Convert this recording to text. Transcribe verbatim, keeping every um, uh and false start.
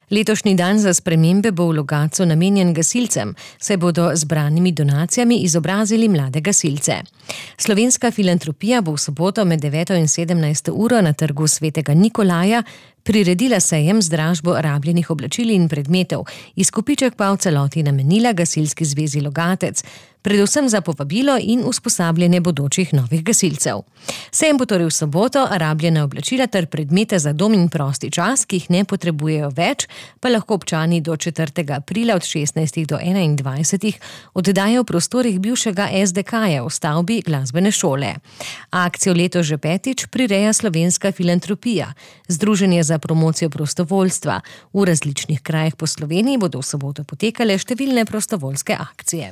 Letošnji dan za spremembe bo v Logatcu namenjen gasilcem, saj bodo z zbranimi donacijami izobrazili mlade gasilce. Slovenska filantropija bo v soboto med deveto in sedemnajsto uro na trgu Svetega Nikolaja priredila sejem z dražbo rabljenih oblačil in predmetov, izkupiček pa v celoti namenila Gasilski zvezi Logatec, predvsem za povabilo in usposabljanje bodočih novih gasilcev. Sejem bo torej v soboto, rabljena oblačila ter predmete za dom in prosti čas, ki jih ne potrebujejo več, pa lahko občani do četrtega aprila od šestnajstih do enaindvajsetih oddajo v prostorih bivšega es de ka-ja v stavbi glasbene šole. Akcijo letos že petič prireja Slovenska filantropija, združenje za promocijo prostovoljstva. V različnih krajih po Sloveniji bodo v soboto potekale številne prostovoljske akcije.